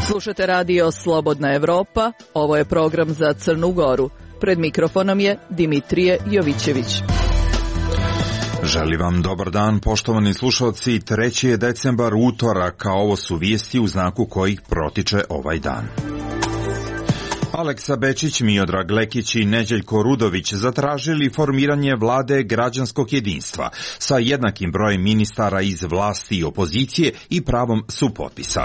Slušate radio Slobodna Evropa, ovo je program za Crnu Goru. Pred mikrofonom je Dimitrije Jovićević. Želim vam dobar dan, poštovani slušalci. 3. je decembar, utorak, a ovo su vijesti u znaku kojih protiče ovaj dan. Aleksa Bečić, Miodrag Lekić i Neđeljko Rudović zatražili formiranje vlade građanskog jedinstva sa jednakim brojem ministara iz vlasti i opozicije i pravom supotpisa.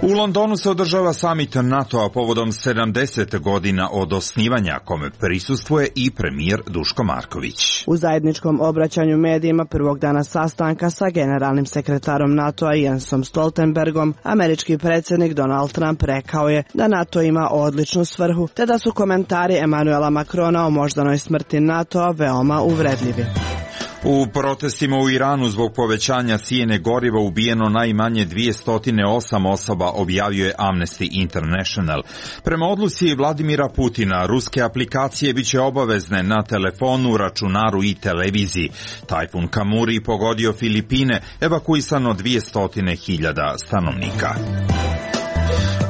U Londonu se održava samit NATO-a povodom 70 godina od osnivanja, kome prisustvuje i premijer Duško Marković. U zajedničkom obraćanju medijima prvog dana sastanka sa generalnim sekretarom NATO-a Jensom Stoltenbergom, američki predsjednik Donald Trump rekao je da NATO ima odličnu svrhu, te da su komentari Emanuela Macrona o moždanoj smrti NATO-a veoma uvredljivi. U protestima u Iranu zbog povećanja cijene goriva ubijeno najmanje 208 osoba, objavio je Amnesty International. Prema odluci Vladimira Putina, ruske aplikacije biće obavezne na telefonu, računaru i televiziji. Tajfun Kamuri pogodio Filipine, evakuisano 200.000 stanovnika.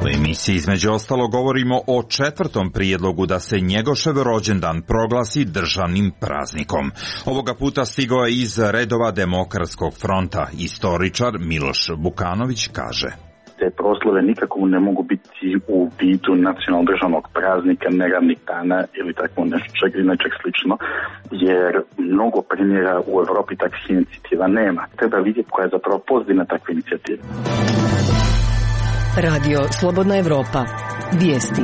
U emisiji između ostalo govorimo o 4. prijedlogu da se Njegošev rođendan proglasi državnim praznikom. Ovoga puta stigao je iz redova Demokratskog fronta. Istoričar Miloš Bukanović kaže: te proslave nikako ne mogu biti u vidu nacionalnog državnog praznika, neradnih dana ili tako nečeg slično, jer mnogo primjera u Europi takvih inicijativa nema. Treba vidjeti koja je zapravo pozitivna takva inicijativa. Radio Slobodna Evropa. Vijesti.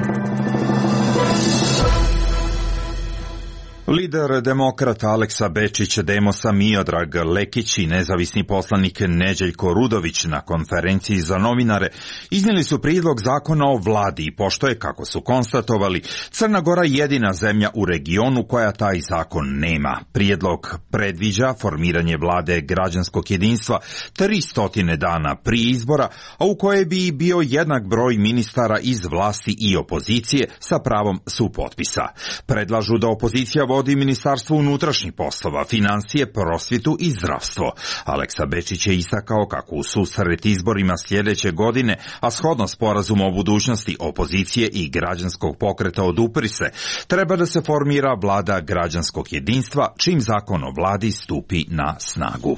Lider demokrata Aleksa Bečić, Demosa Miodrag Lekić i nezavisni poslanik Neđeljko Rudović na konferenciji za novinare iznijeli su prijedlog zakona o vladi i pošto je, kako su konstatovali, Crna Gora jedina zemlja u regionu koja taj zakon nema. Prijedlog predviđa formiranje vlade građanskog jedinstva 300 dana prije izbora, a u koje bi bio jednak broj ministara iz vlasti i opozicije sa pravom supotpisa. Predlažu da opozicija vodi Ministarstvo unutrašnjih poslova, financije, prosvjetu i zdravstvo. Aleksa Bečić je istakao kako u susret izborima sljedeće godine, a shodno sporazumu o budućnosti opozicije i građanskog pokreta odupri se, treba da se formira vlada građanskog jedinstva, čim zakon o vladi stupi na snagu.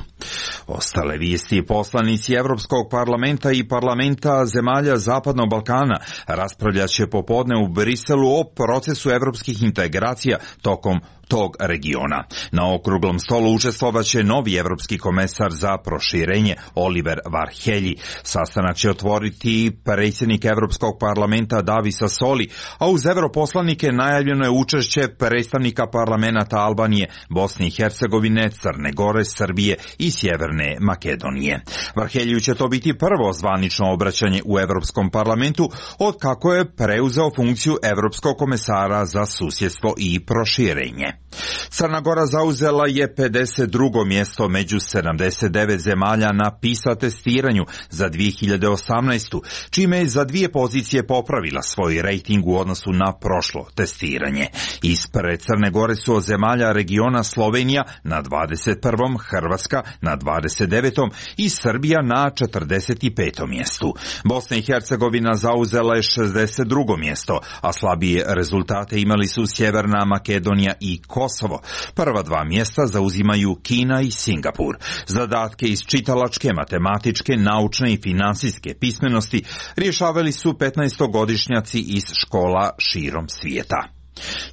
Ostale vijesti: poslanici Evropskog parlamenta i parlamenta zemalja Zapadnog Balkana raspravljat će popodne u Briselu o procesu evropskih integracija tokom tog regiona. Na okruglom stolu učestvovaće novi evropski komesar za proširenje Oliver Varhelyi. Sastanak će otvoriti predsjednik Evropskog parlamenta Davis Sassoli, a uz europoslanike najavljeno je učešće predstavnika parlamenta Albanije, Bosne i Hercegovine, Crne Gore, Srbije i Sjeverne Makedonije. Varhelyi će to biti prvo zvanično obraćanje u Evropskom parlamentu od kako je preuzeo funkciju Evropskog komesara za susjedstvo i proširenje. Crna Gora zauzela je 52. mjesto među 79 zemalja na PISA testiranju za 2018. čime je za 2 pozicije popravila svoj rejting u odnosu na prošlo testiranje. Ispred Crne Gore su od zemalja regiona Slovenija na 21., Hrvatska na 29. i Srbija na 45. mjestu. Bosna i Hercegovina zauzela je 62. mjesto, a slabije rezultate imali su Sjeverna Makedonija i Kosovo. Prva 2 mjesta zauzimaju Kina i Singapur. Zadatke iz čitalačke, matematičke, naučne i financijske pismenosti rješavali su 15-godišnjaci iz škola širom svijeta.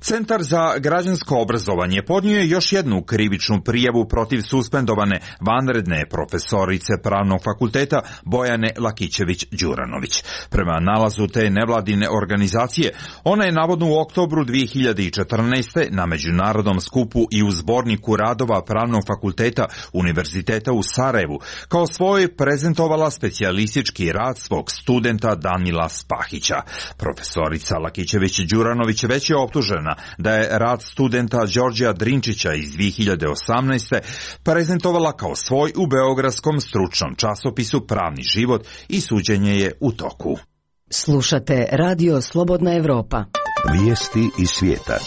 Centar za građansko obrazovanje podnio je još jednu krivičnu prijavu protiv suspendovane vanredne profesorice Pravnog fakulteta Bojane Lakićević-Đuranović. Prema nalazu te nevladine organizacije, ona je navodno u oktobru 2014. na međunarodnom skupu i u zborniku radova Pravnog fakulteta Univerziteta u Sarajevu kao svoj prezentovala specijalistički rad svog studenta Danila Spahića. Profesorica Lakićević-Đuranović već je optužena da je rad studenta Đorđa Drinčića iz 2018. prezentovala kao svoj u beogradskom stručnom časopisu Pravni život i suđenje je u toku. Slušate Radio Slobodna Evropa. Vijesti iz svijeta.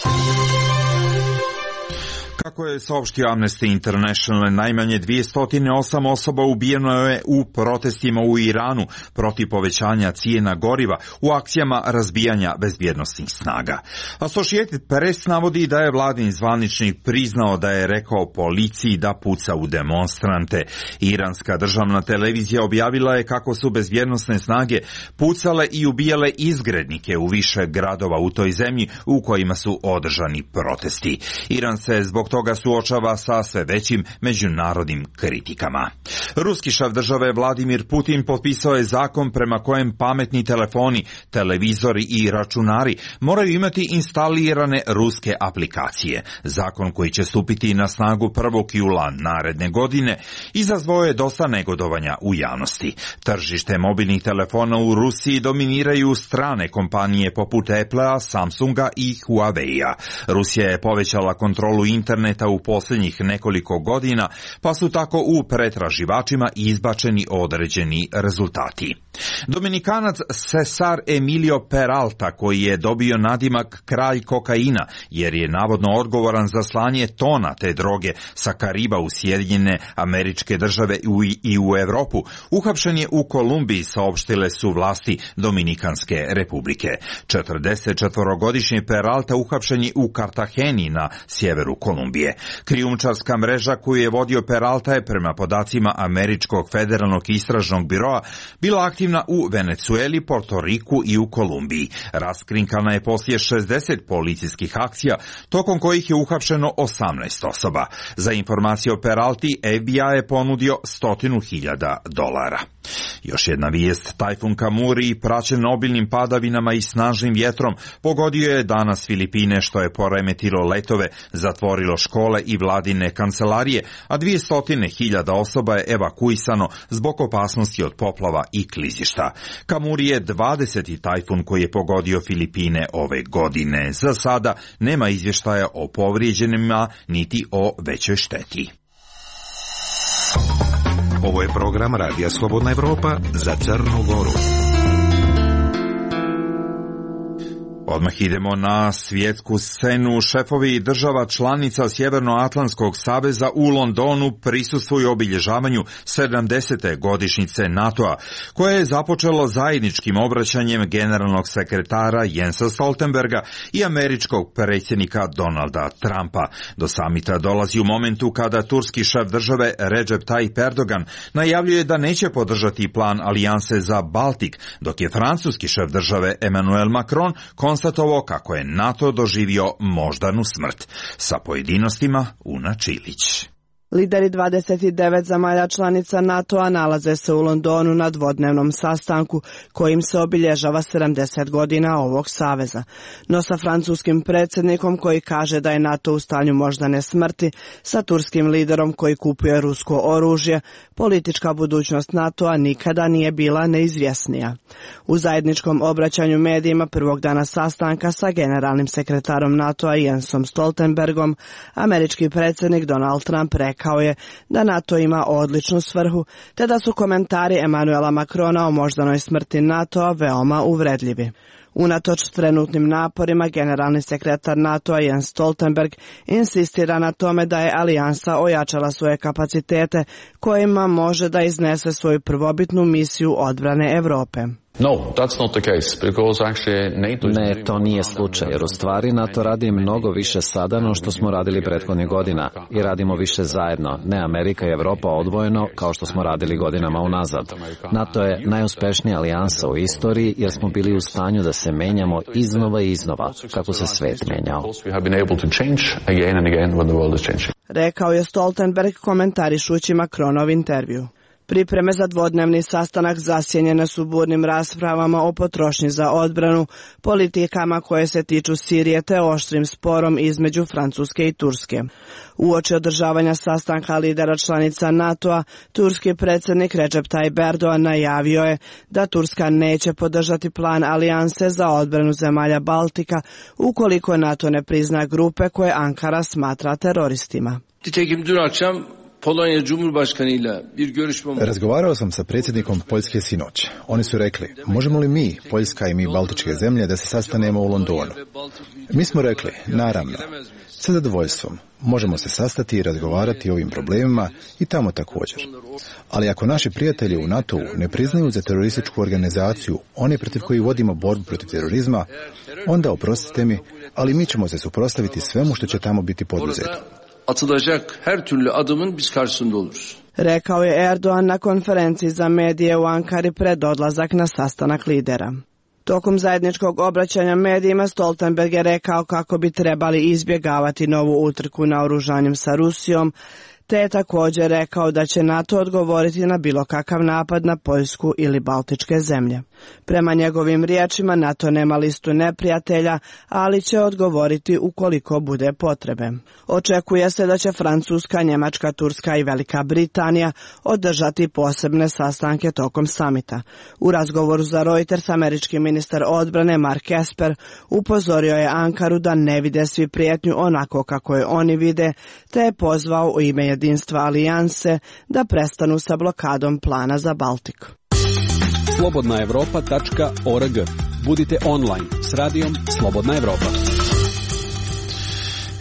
Kako je saopštio Amnesty International, najmanje 208 osoba ubijeno je u protestima u Iranu protiv povećanja cijena goriva u akcijama razbijanja bezbjednosnih snaga. Associated Press navodi da je vladin zvaničnik priznao da je rekao policiji da puca u demonstrante. Iranska državna televizija objavila je kako su bezbjednosne snage pucale i ubijale izgrednike u više gradova u toj zemlji u kojima su održani protesti. Iran se zbog toga suočava sa sve većim međunarodnim kritikama. Ruski šef države Vladimir Putin potpisao je zakon prema kojem pametni telefoni, televizori i računari moraju imati instalirane ruske aplikacije. Zakon koji će stupiti na snagu 1. jula naredne godine izazvao je dosta negodovanja u javnosti. Tržište mobilnih telefona u Rusiji dominiraju strane kompanije poput Applea, Samsunga i Huawei-a. Rusija je povećala kontrolu interneta u posljednjih nekoliko godina, pa su tako u pretraživačima izbačeni određeni rezultati. Dominikanac Cesar Emilio Peralta, koji je dobio nadimak kralj kokaina, jer je navodno odgovoran za slanje tona te droge sa Kariba u Sjedinjene Američke Države i u Europu, uhapšen je u Kolumbiji, saopštile su vlasti Dominikanske republike. 44-godišnji Peralta uhapšen je u Kartageni na sjeveru Kolumbije. Krijumčarska mreža koju je vodio Peralta je prema podacima Američkog federalnog istražnog biroa bila aktivna u Venecueli, Portoriku i u Kolumbiji. Raskrinkana je poslije 60 policijskih akcija, tokom kojih je uhapšeno 18 osoba. Za informaciju o Peralti, FBI je ponudio $100.000. Još jedna vijest, tajfun Kamuri, praćen obilnim padavinama i snažnim vjetrom, pogodio je danas Filipine, što je poremetilo letove, zatvorilo škole i vladine kancelarije, a 200.000 osoba je evakuisano zbog opasnosti od poplava i klizišta. Kamuri je 20. tajfun koji je pogodio Filipine ove godine. Za sada nema izvještaja o povrijeđenima niti o većoj šteti. Ovo je program Radija Slobodna Evropa za Crnu Goru. Odmah idemo na svjetsku scenu. Šefovi država članica Sjevernoatlantskog saveza u Londonu prisustvuju obilježavanju 70. godišnjice NATO-a, koje je započelo zajedničkim obraćanjem generalnog sekretara Jensa Stoltenberga i američkog predsjednika Donalda Trumpa. Do samita dolazi u momentu kada turski šef države Recep Tayyip Erdogan najavljuje da neće podržati plan alijanse za Baltik, dok je francuski šef države Emmanuel Macron konstatovao kako je NATO doživio moždanu smrt. Sa pojedinostima Una Čilić. Lideri 29 zemalja članica NATO-a nalaze se u Londonu na dvodnevnom sastanku kojim se obilježava 70 godina ovog saveza. No sa francuskim predsjednikom koji kaže da je NATO u stanju moždane smrti, sa turskim liderom koji kupuje rusko oružje, politička budućnost NATO-a nikada nije bila neizvjesnija. U zajedničkom obraćanju medijima prvog dana sastanka sa generalnim sekretarom NATO-a Jensom Stoltenbergom, američki predsjednik Donald Trump rekao je da NATO ima odličnu svrhu, te da su komentari Emmanuela Macrona o moždanoj smrti NATO-a veoma uvredljivi. Unatoč trenutnim naporima, generalni sekretar NATO-a Jens Stoltenberg insistira na tome da je alijansa ojačala svoje kapacitete kojima može da iznese svoju prvobitnu misiju odbrane Europe. Ne, to nije slučaj, jer u stvari NATO radi mnogo više sada no što smo radili prethodnih godina i radimo više zajedno, ne Amerika i Evropa odvojeno kao što smo radili godinama unazad. NATO je najuspješnija alijansa u istoriji jer smo bili u stanju da se menjamo iznova i iznova, kako se svet menjao. Rekao je Stoltenberg komentarišući Macronov intervju. Pripreme za dvodnevni sastanak zasjenjene su burnim raspravama o potrošnji za odbranu, politikama koje se tiču Sirije te oštrim sporom između Francuske i Turske. Uoči održavanja sastanka lidera članica NATO-a, turski predsjednik Recep Tayyip Erdogan najavio je da Turska neće podržati plan alijanse za odbranu zemalja Baltika ukoliko NATO ne prizna grupe koje Ankara smatra teroristima. Nitekim dün akşam Razgovarao sam sa predsjednikom Poljske sinoć. Oni su rekli, možemo li mi, Poljska i mi Baltičke zemlje, da se sastanemo u Londonu? Mi smo rekli, naravno, sa zadovoljstvom. Možemo se sastati i razgovarati o ovim problemima i tamo također. Ali ako naši prijatelji u NATO-u ne priznaju za terorističku organizaciju, one protiv koji vodimo borbu protiv terorizma, onda oprostite mi, ali mi ćemo se suprotstaviti svemu što će tamo biti poduzeto. Atılacak her türlü adımın biz karşısında oluruz. Rekao je Erdogan na konferenciji za medije u Ankari pred odlazak na sastanak lidera. Tokom zajedničkog obraćanja medijima Stoltenberg je rekao kako bi trebali izbjegavati novu utrku naoružanjem sa Rusijom, te je također rekao da će NATO odgovoriti na bilo kakav napad na Poljsku ili Baltičke zemlje. Prema njegovim riječima, NATO nema listu neprijatelja, ali će odgovoriti ukoliko bude potrebe. Očekuje se da će Francuska, Njemačka, Turska i Velika Britanija održati posebne sastanke tokom samita. U razgovoru za Reuters američki ministar odbrane Mark Esper upozorio je Ankaru da ne vide svi prijetnju onako kako je oni vide, te je pozvao u ime jedinstva alijanse da prestanu sa blokadom plana za Baltik. slobodnaevropa.org. Budite online s radijom Slobodna Evropa.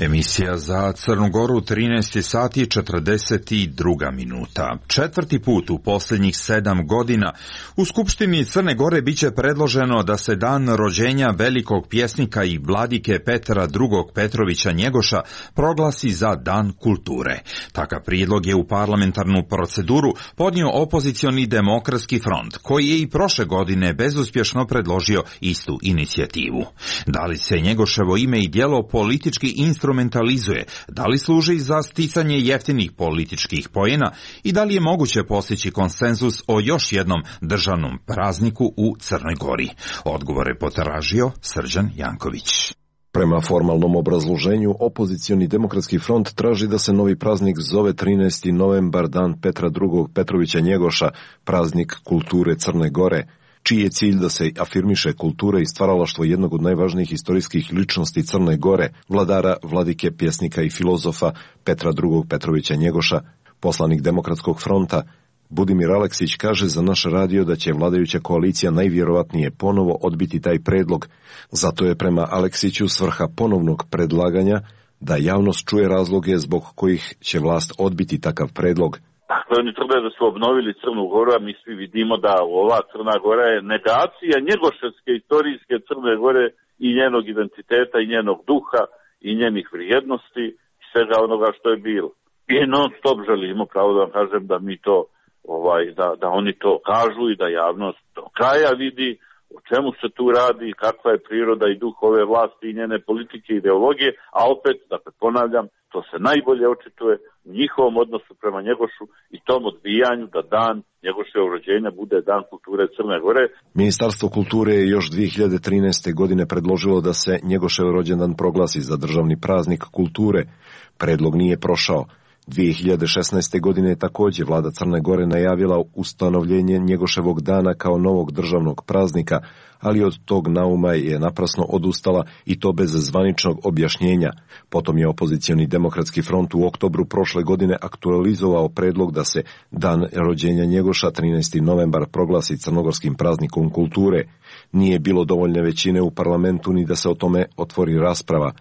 Emisija za Crnu Goru 13 sati 42 minuta. Četvrti put u posljednjih 7 godina u Skupštini Crne Gore biće predloženo da se dan rođenja velikog pjesnika i vladike Petra II. Petrovića Njegoša proglasi za Dan kulture. Takav prijedlog je u parlamentarnu proceduru podnio opozicioni Demokratski front, koji je i prošle godine bezuspješno predložio istu inicijativu. Da li se Njegoševo ime i djelo politički instrumentalizuje, da li služi za sticanje jeftinih političkih poena i da li je moguće postići konsenzus o još jednom državnom prazniku u Crnoj Gori? Odgovor je potražio Srđan Janković. Prema formalnom obrazloženju, opozicioni Demokratski front traži da se novi praznik zove 13. novembar, dan Petra II. Petrovića Njegoša, praznik kulture Crne Gore, čiji je cilj da se afirmiše kultura i stvaralaštvo jednog od najvažnijih istorijskih ličnosti Crne Gore, vladara, vladike, pjesnika i filozofa Petra II. Petrovića Njegoša. Poslanik Demokratskog fronta Budimir Aleksić kaže za naš radio da će vladajuća koalicija najvjerovatnije ponovo odbiti taj predlog. Zato je prema Aleksiću svrha ponovnog predlaganja da javnost čuje razloge zbog kojih će vlast odbiti takav predlog. Dakle, oni tvrde da su obnovili Crnu Goru, a mi svi vidimo da ova Crna Gora je negacija njegoševske istorijske Crne Gore i njenog identiteta i njenog duha i njenih vrijednosti i svega onoga što je bilo. I non stop želimo, pravo da vam kažem, da mi to, da oni to kažu i da javnost do kraja vidi o čemu se tu radi, kakva je priroda i duh ove vlasti i njene politike i ideologije, a opet, dakle ponavljam, to se najbolje očituje u njihovom odnosu prema Njegošu i tom odbijanju da dan Njegoševog rođenja bude dan kulture Crne Gore. Ministarstvo kulture je još 2013. godine predložilo da se Njegošev rođendan proglasi za državni praznik kulture. Predlog nije prošao. 2016. godine je također vlada Crne Gore najavila ustanovljenje Njegoševog dana kao novog državnog praznika, ali od tog nauma je naprasno odustala i to bez zvaničnog objašnjenja. Potom je opozicioni Demokratski front u oktobru prošle godine aktualizovao predlog da se dan rođenja Njegoša 13. novembar proglasi crnogorskim praznikom kulture. Nije bilo dovoljne većine u parlamentu ni da se o tome otvori rasprava.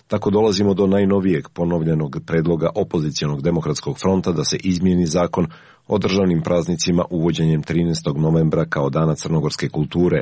Tako dolazimo do najnovijeg ponovljenog predloga opozicijonog Demokratskog fronta da se izmijeni zakon o državnim praznicima uvođenjem 13. novembra kao dana crnogorske kulture.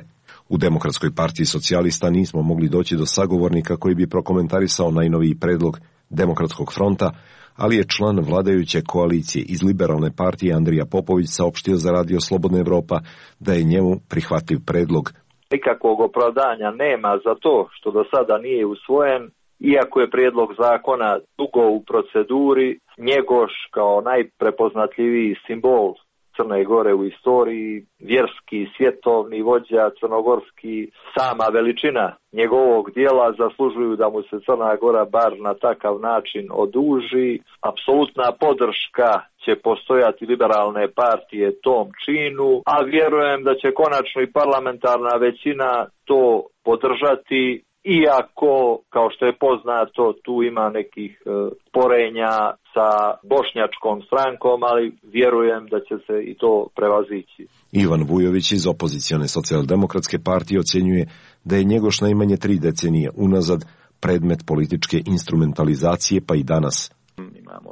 U Demokratskoj partiji socijalista nismo mogli doći do sagovornika koji bi prokomentarisao najnoviji predlog Demokratskog fronta, ali je član vladajuće koalicije iz Liberalne partije Andrija Popović saopštio za radio Slobodna Evropa da je njemu prihvatljiv predlog. Nikakvog opravdanja nema za to što do sada nije usvojen. Iako je prijedlog zakona dugo u proceduri, Njegoš kao najprepoznatljiviji simbol Crne Gore u istoriji, vjerski, svjetovni vođa crnogorski, sama veličina njegovog dijela zaslužuju da mu se Crna Gora bar na takav način oduži. Apsolutna podrška će postojati Liberalne partije tom činu, a vjerujem da će konačno i parlamentarna većina to podržati iako, kao što je poznato, tu ima nekih sporenja sa bošnjačkom strankom, ali vjerujem da će se i to prevazići. Ivan Vujović iz opozicione socijaldemokratske partije ocjenjuje da je Njegoš najmanje 3 decenije unazad predmet političke instrumentalizacije, pa i danas. Imamo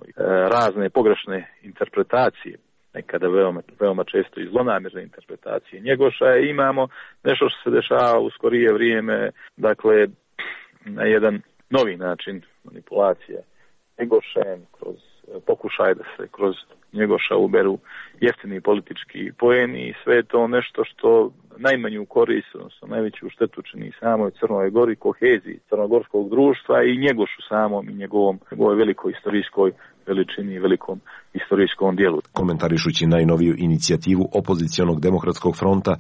razne pogrešne interpretacije, nekada veoma često i zlonamjerne interpretacije Njegoša, i imamo nešto što se dešava u skorije vrijeme, dakle na jedan novi način manipulacije Njegošem, kroz pokušaj da se kroz Njegoša uberu jeftini politički poeni, i sve to nešto što najmanju korist, odnosno najveću štetu čini samoj Crnoj Gori, koheziji crnogorskog društva i Njegošu samom i njegovoj velikoj istorijskoj veličini i velikom istorijskom dijelu. Komentarišući najnoviju inicijativu opozicionog demokratskog fronta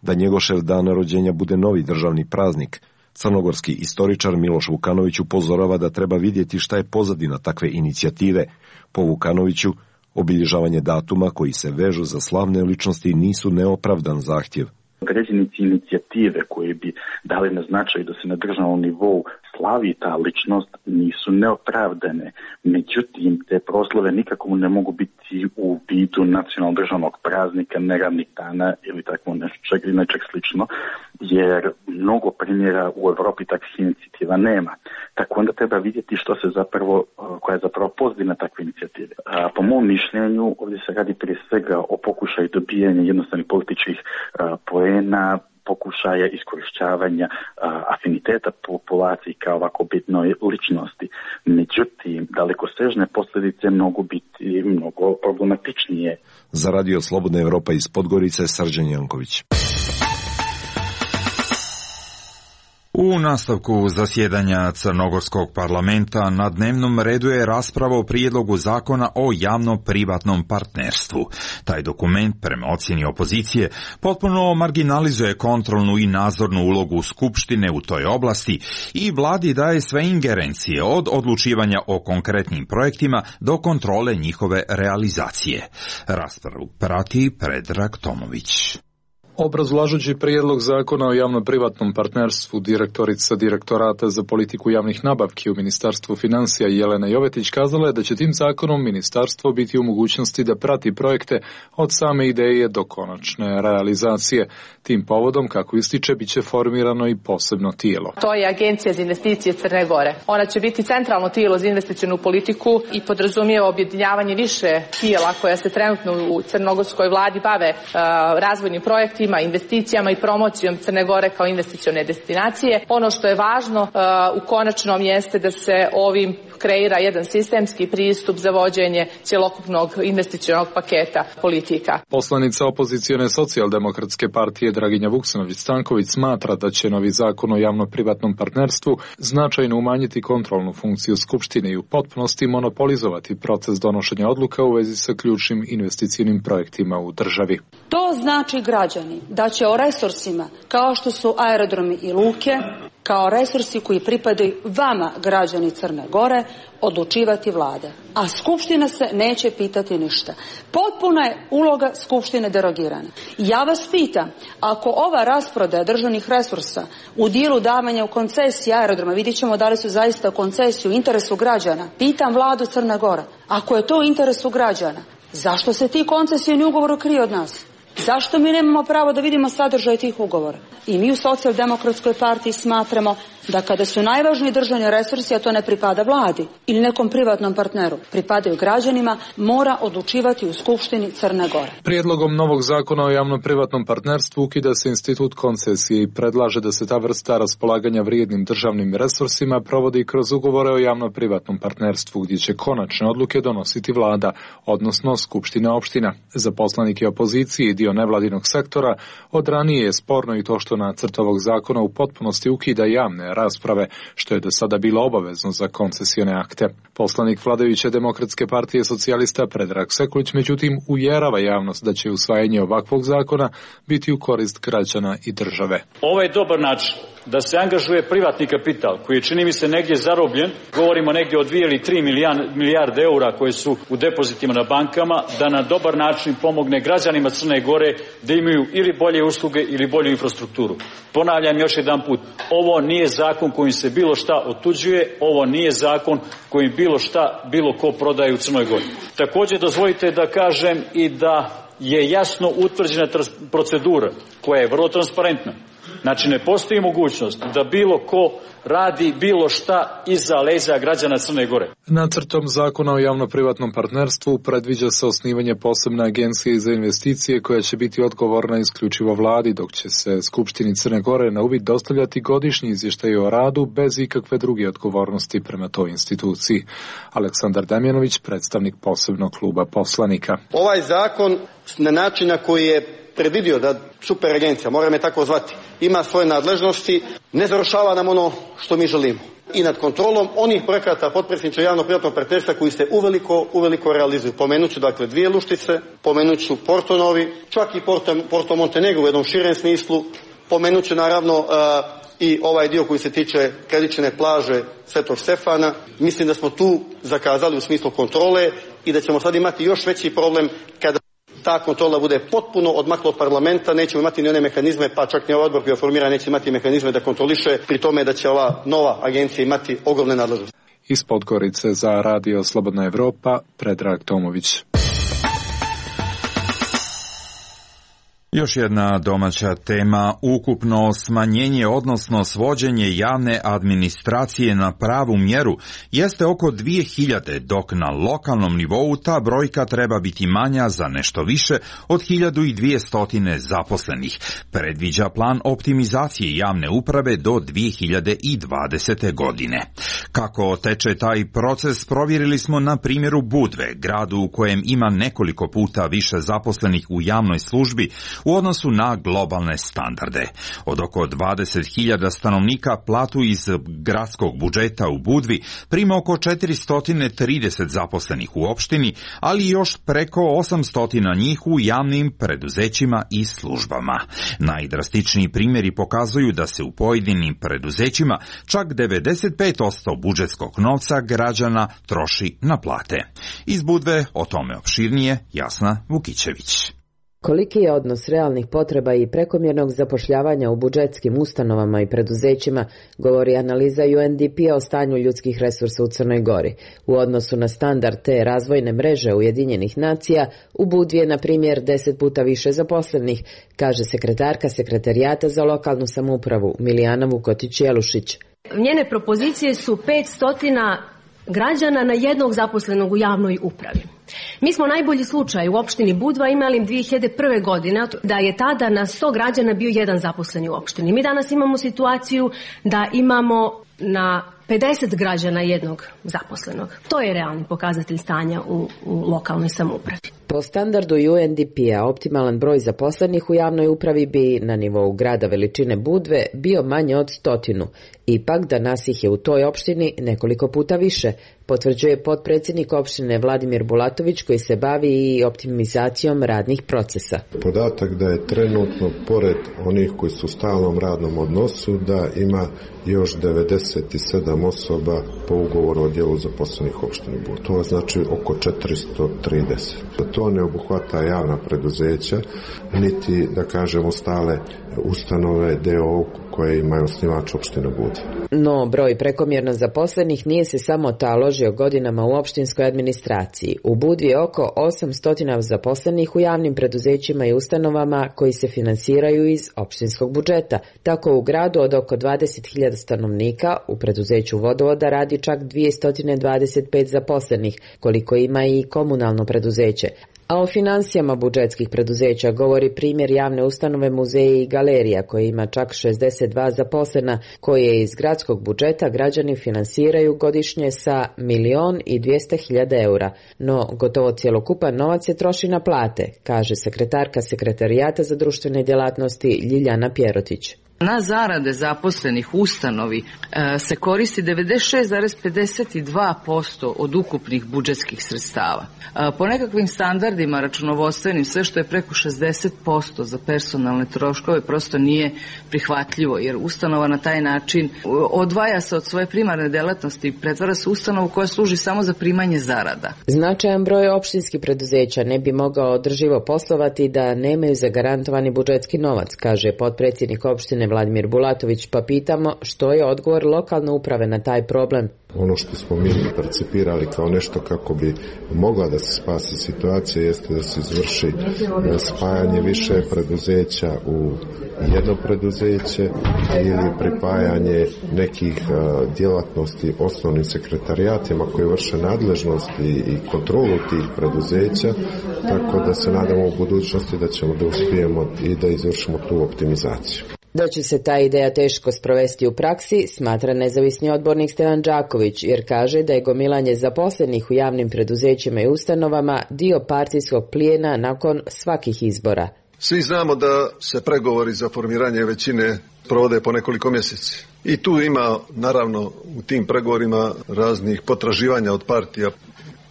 da Njegošev dan rođenja bude novi državni praznik, crnogorski istoričar Miloš Vukanović upozorava da treba vidjeti šta je pozadina takve inicijative. Po Vukanoviću, obilježavanje datuma koji se vežu za slavne ličnosti nisu neopravdan zahtjev. Određene inicijative koje bi dali na značaj da se na državnom nivou slavi ta ličnost nisu neopravdane. Međutim, te proslave nikako ne mogu biti u vidu nacionalnog državnog praznika, neradnih dana ili tako nečeg slično, jer mnogo primjera u Europi takvih inicijativa nema. Tako onda treba vidjeti koja je zapravo pozadina takve inicijative. Po mom mišljenju, ovdje se radi prije svega o pokušaju dobijanja jednostavnih političkih poena, pokušaja iskorišćavanja afiniteta populacije kao ovako bitnoj ličnosti. Međutim, dalekosežne posljedice mogu biti mnogo problematičnije. Za Radio Slobodna Evropa iz Podgorice, Srđan Janković. U nastavku zasjedanja Crnogorskog parlamenta na dnevnom redu je rasprava o prijedlogu zakona o javno-privatnom partnerstvu. Taj dokument, prema ocjeni opozicije, potpuno marginalizuje kontrolnu i nadzornu ulogu Skupštine u toj oblasti i vladi daje sve ingerencije od odlučivanja o konkretnim projektima do kontrole njihove realizacije. Raspravu prati Predrag Tomović. Obrazlažući prijedlog zakona o javno-privatnom partnerstvu, direktorica Direktorata za politiku javnih nabavki u Ministarstvu financija Jelena Jovetić kazala je da će tim zakonom ministarstvo biti u mogućnosti da prati projekte od same ideje do konačne realizacije. Tim povodom, kako ističe, bit će formirano i posebno tijelo. To je Agencija za investicije Crne Gore. Ona će biti centralno tijelo za investicionu politiku i podrazumijeva objedinjavanje više tijela koja se trenutno u crnogorskoj vladi bave razvojnim projektima, investicijama i promocijom Crne Gore kao investicione destinacije. Ono što je važno u konačnom jeste da se ovim kreira jedan sistemski pristup za vođenje cjelokupnog investicionog paketa politika. Poslanica opozicione socijaldemokratske partije Draginja Vuksanović-Stanković smatra da će novi zakon o javno-privatnom partnerstvu značajno umanjiti kontrolnu funkciju Skupštine i u potpunosti monopolizovati proces donošenja odluka u vezi sa ključnim investicijnim projektima u državi. To znači, građani, da će o resursima kao što su aerodromi i luke, kao resursi koji pripadaju vama, građani Crne Gore, odlučivati vlade. A Skupština se neće pitati ništa. Potpuna je uloga Skupštine derogirana. Ja vas pitam, ako ova rasprodaja državnih resursa u dijelu davanja u koncesiji aerodroma, vidjet ćemo da li su zaista u koncesiju u interesu građana, pitam vladu Crne Gore, ako je to u interesu građana, zašto se ti koncesijni ugovori kriju od nas? Zašto mi nemamo pravo da vidimo sadržaj tih ugovora? I mi u Socijaldemokratskoj partiji smatramo da kada su najvažniji državni resursi, a to ne pripada vladi ili nekom privatnom partneru, pripadaju građanima, mora odlučivati u Skupštini Crne Gore. Prijedlogom novog zakona o javno-privatnom partnerstvu ukida se institut koncesije i predlaže da se ta vrsta raspolaganja vrijednim državnim resursima provodi kroz ugovore o javno-privatnom partnerstvu, gdje će konačne odluke donositi vlada, odnosno Skupština opština. Za poslanike opozicije i dio nevladinog sektora od ranije je sporno i to što nacrt ovog zakona u potpunosti ukida javne rasprave, što je do sada bilo obavezno za koncesione akte. Poslanik vladajuće Demokratske partije socijalista Predrag Sekulić međutim uvjerava javnost da će usvajanje ovakvog zakona biti u korist građana i države. Ovo je dobar način da se angažuje privatni kapital koji je, čini mi se, negdje zarobljen, govorimo negdje o 2 ili 3 milijarde eura koje su u depozitima na bankama, da na dobar način pomogne građanima Crne Gore da imaju ili bolje usluge ili bolju infrastrukturu. Ponavljam još jedan put, ovo nije zakon kojim se bilo šta otuđuje, ovo nije zakon kojim bilo ko prodaje u Crnoj Gori. Također dozvolite da kažem i da je jasno utvrđena procedura koja je vrlo transparentna. Znači ne postoji mogućnost da bilo ko radi bilo šta iza leđa građana Crne Gore. Nacrtom zakona o javno-privatnom partnerstvu predviđa se osnivanje posebne agencije za investicije koja će biti odgovorna isključivo vladi, dok će se Skupštini Crne Gore na uvid dostavljati godišnji izvještaj o radu bez ikakve druge odgovornosti prema toj instituciji. Aleksandar Damjanović, predstavnik posebnog kluba poslanika. Ovaj zakon na način na koji je predvidio da super agencija, moram je tako zvati, ima svoje nadležnosti, ne završava nam ono što mi želimo. I nad kontrolom onih projekata potpredsjedniče javno-privatnog partnerstva koji se uveliko realizuju. Pomenuću dakle 2 Luštice, pomenuću Porto Novi, čak i Porto Montenegro u jednom širem smislu, pomenuću naravno i ovaj dio koji se tiče kredične plaže Svetog Stefana. Mislim da smo tu zakazali u smislu kontrole i da ćemo sad imati još veći problem kada ta kontrola bude potpuno odmakla od parlamenta, nećemo imati ni one mehanizme, pa čak ni ovaj odbor koji je formiran neće imati mehanizme da kontroliše, pri tome da će ova nova agencija imati ogromne nadležnosti. Iz Podgorice za Radio Slobodna Evropa, Predrag Tomović. Još jedna domaća tema, ukupno smanjenje odnosno svođenje javne administracije na pravu mjeru jeste oko 2000, dok na lokalnom nivou ta brojka treba biti manja za nešto više od 1200 zaposlenih. Predviđa plan optimizacije javne uprave do 2020. godine. Kako teče taj proces provjerili smo na primjeru Budve, gradu u kojem ima nekoliko puta više zaposlenih u javnoj službi u odnosu na globalne standarde. Od oko 20.000 stanovnika platu iz gradskog budžeta u Budvi prima oko 430 zaposlenih u opštini, ali još preko 800 njih u javnim preduzećima i službama. Najdrastičniji primjeri pokazuju da se u pojedinim preduzećima čak 95% budžetskog novca građana troši na plate. Iz Budve o tome opširnije Jasna Vukićević. Koliki je odnos realnih potreba i prekomjernog zapošljavanja u budžetskim ustanovama i preduzećima, govori analiza UNDP-a o stanju ljudskih resursa u Crnoj Gori. U odnosu na standard te razvojne mreže Ujedinjenih nacija, u Budvi je, na primjer, 10 puta više zaposlenih, kaže sekretarka Sekretarijata za lokalnu samoupravu Milijana Vukotić-Jelušić. Njene propozicije su 500 građana na jednog zaposlenog u javnoj upravi. Mi smo najbolji slučaj u opštini Budva imali 2001. godine da je tada na 100 građana bio jedan zaposleni u opštini. Mi danas imamo situaciju da imamo na 50 građana jednog zaposlenog. To je realni pokazatelj stanja u lokalnoj samoupravi. Po standardu UNDP-a optimalan broj zaposlenih u javnoj upravi bi na nivou grada veličine Budve bio manje od 100. Ipak danas ih je u toj opštini nekoliko puta više, potvrđuje potpredsjednik opštine Vladimir Bulatović koji se bavi i optimizacijom radnih procesa. Podatak da je trenutno pored onih koji su u stalnom radnom odnosu da ima još 97 osoba po ugovoru o djelu zaposlenih opštine Budve. To znači oko 430. To ne obuhvata javna preduzeća, niti da kažemo stale ustanove DO koje imaju osnivač opštine Budve. No, broj prekomjerno zaposlenih nije se samo taložio godinama u opštinskoj administraciji. U Budvi je oko 800 zaposlenih u javnim preduzećima i ustanovama koji se finansiraju iz opštinskog budžeta. Tako u gradu od oko 20.000 stanovnika u preduzeću vodovoda radi čak 225 zaposlenih, koliko ima i komunalno preduzeće. A o finansijama budžetskih preduzeća govori primjer javne ustanove Muzeji i galerija koje ima čak 62 zaposlena koje iz gradskog budžeta građani finansiraju godišnje sa 1.200.000 eura. No, gotovo cjelokupan novac se troši na plate, kaže sekretarka Sekretarijata za društvene djelatnosti Ljiljana Pjerotić. Na zarade zaposlenih u ustanovi se koristi 96,52% od ukupnih budžetskih sredstava. Po nekakvim standardima računovodstvenim sve što je preko 60% za personalne troškove prosto nije prihvatljivo, jer ustanova na taj način odvaja se od svoje primarne delatnosti i pretvara se u ustanovu koja služi samo za primanje zarada. Značajan broj opštinskih preduzeća ne bi mogao održivo poslovati da nemaju zagarantovani budžetski novac, kaže potpredsjednik opštine Vladimir Bulatović, pa pitamo što je odgovor lokalne uprave na taj problem. Ono što smo mi percipirali kao nešto kako bi mogla da se spasi situacija jeste da se izvrši spajanje više preduzeća u jedno preduzeće ili pripajanje nekih djelatnosti osnovnim sekretarijatima koji vrše nadležnosti i kontrolu tih preduzeća, tako da se nadamo u budućnosti da ćemo da uspijemo i da izvršimo tu optimizaciju. Da će se ta ideja teško sprovesti u praksi, smatra nezavisni odbornik Stevan Đaković, jer kaže da je gomilanje zaposlenih u javnim preduzećima i ustanovama dio partijskog plijena nakon svakih izbora. Svi znamo da se pregovori za formiranje većine provode po nekoliko mjeseci. I tu ima, naravno, u tim pregovorima raznih potraživanja od partija.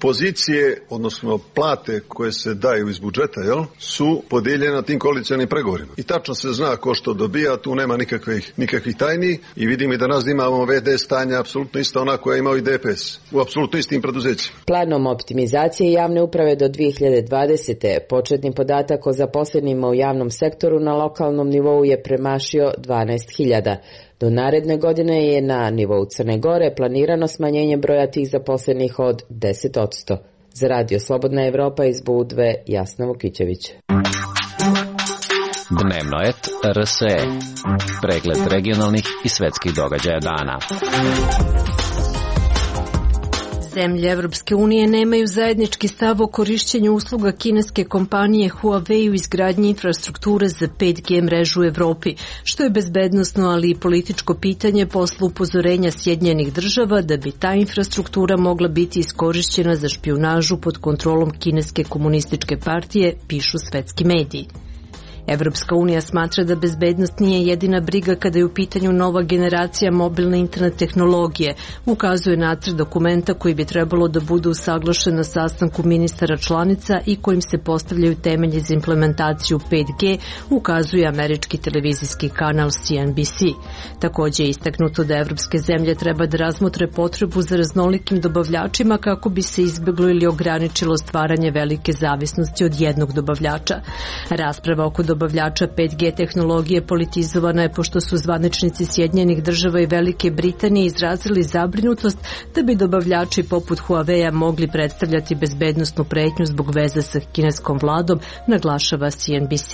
Pozicije, odnosno plate koje se daju iz budžeta, su podijeljene na tim koalicionim pregovorima. I tačno se zna ko što dobija, tu nema nikakvih tajni i vidimo i da nas imamo VD stanja apsolutno isto ona koja imao i DPS, u apsolutno istim preduzećima. Planom optimizacije javne uprave do 2020. početni podatak o zaposlenima u javnom sektoru na lokalnom nivou je premašio 12.000. Do naredne godine je na nivou Crne Gore planirano smanjenje broja tih zaposlenih od 10%. Za Radio Slobodna Evropa iz Budve, Jasna Vukićević. Dnevno et RSE. Pregled regionalnih i svetskih događaja dana. Zemlje Evropske unije nemaju zajednički stav o korišćenju usluga kineske kompanije Huawei u izgradnji infrastrukture za 5G mrežu u Evropi, što je bezbednosno, ali i političko pitanje posle upozorenja Sjedinjenih država da bi ta infrastruktura mogla biti iskorišćena za špijunažu pod kontrolom kineske komunističke partije, pišu svetski mediji. Evropska unija smatra da bezbednost nije jedina briga kada je u pitanju nova generacija mobilne internet tehnologije, ukazuje nacrt dokumenta koji bi trebalo da bude usaglašen na sastanku ministara članica i kojim se postavljaju temelji za implementaciju 5G, ukazuje američki televizijski kanal CNBC. Također je istaknuto da evropske zemlje treba da razmotre potrebu za raznolikim dobavljačima kako bi se izbjeglo ili ograničilo stvaranje velike zavisnosti od jednog dobavljača. Rasprava oko dobavljača 5G tehnologije politizovana je pošto su zvaničnici Sjedinjenih država i Velike Britanije izrazili zabrinutost da bi dobavljači poput Huawei-a mogli predstavljati bezbednosnu pretnju zbog veze sa kineskom vladom, naglašava CNBC.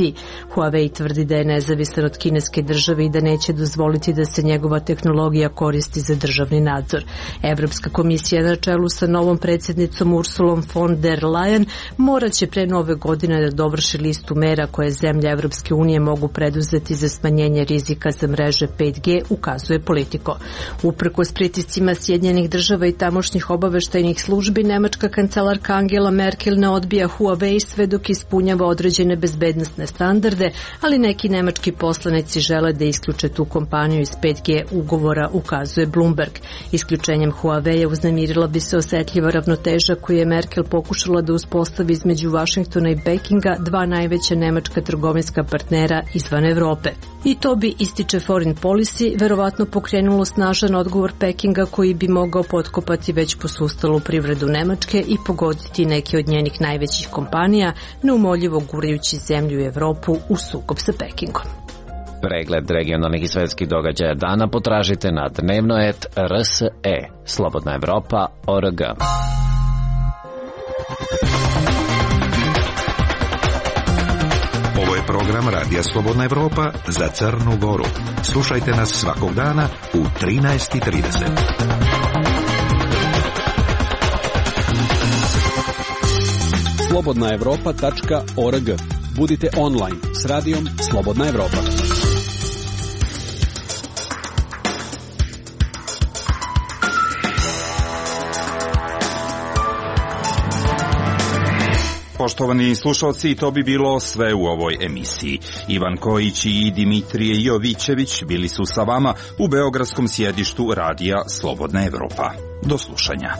Huawei tvrdi da je nezavisan od kineske države i da neće dozvoliti da se njegova tehnologija koristi za državni nadzor. Evropska komisija na čelu sa novom predsjednicom Ursulom von der Leyen morat će pre nove godine da dovrši listu mera koje zemlje Evropske unije mogu preduzeti za smanjenje rizika za mreže 5G, ukazuje Politico. Uprkos pritiscima Sjedinjenih država i tamošnjih obaveštajnih službi, nemačka kancelarka Angela Merkel ne odbija Huawei sve dok ispunjava određene bezbednosne standarde, ali neki nemački poslanici žele da isključe tu kompaniju iz 5G ugovora, ukazuje Bloomberg. Isključenjem Huawei-a uznemirila bi se osetljiva ravnoteža koju je Merkel pokušala da uspostavi između Vašingtona i Pekinga, dva najveća nemačka trgovinska partnera izvan Evrope. I to bi, ističe Foreign Policy, verovatno pokrenulo snažan odgovor Pekinga koji bi mogao potkopati već posustalu privredu Nemačke i pogoditi neke od njenih najvećih kompanija, neumoljivo gurajući zemlju i Evropu u sukob sa Pekingom. Pregled regionalnih i svetskih događaja dana potražite na dnevno.rs.e. Slobodna Evropa.org. Ovo je program Radija Slobodna Evropa za Crnu Goru. Slušajte nas svakog dana u 13:30. slobodnaevropa.org. Budite online s radijom Slobodna Evropa. Poštovani slušalci, to bi bilo sve u ovoj emisiji. Ivan Kojić i Dimitrije Jovićević bili su sa vama u beogradskom sjedištu radija Slobodna Evropa. Do slušanja.